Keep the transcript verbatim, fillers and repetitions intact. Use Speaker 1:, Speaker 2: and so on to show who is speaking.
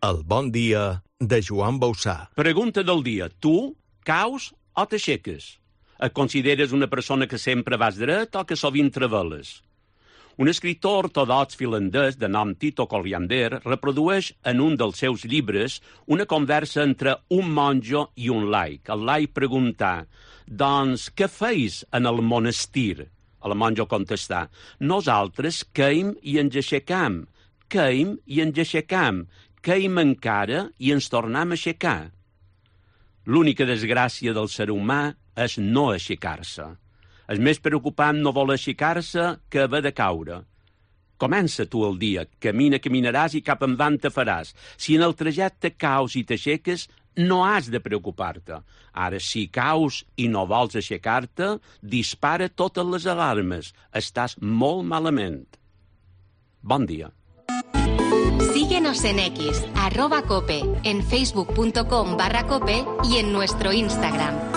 Speaker 1: El bon dia de Joan Bausà.
Speaker 2: Pregunta del dia. Tu caus o t'aixeques? Et consideres una persona que sempre vas dret o que sovint treveles? Un escriptor ortodox finlandès de nom Tito Colliander reprodueix en un dels seus llibres una conversa entre un monjo i un laic. El laic pregunta, doncs, què feis en el monestir? El monjo contesta, nosaltres queim i ens aixecam, queim i ens aixecam, queim encara i ens tornem a aixecar. L'única desgràcia del ser humà és no aixecar-se. És més preocupant no voler aixecar-se que haver de caure. Comença tu el dia, camina, caminaràs i cap endavant te faràs. Si en el trajecte caus i t'aixeques, no has de preocupar-te. Ara, si caus i no vols aixecar-te, dispara totes les alarmes. Estàs molt malament. Bon dia.
Speaker 3: Síguenos en X, arroba cope, en facebook punto com barra cope y en nuestro Instagram.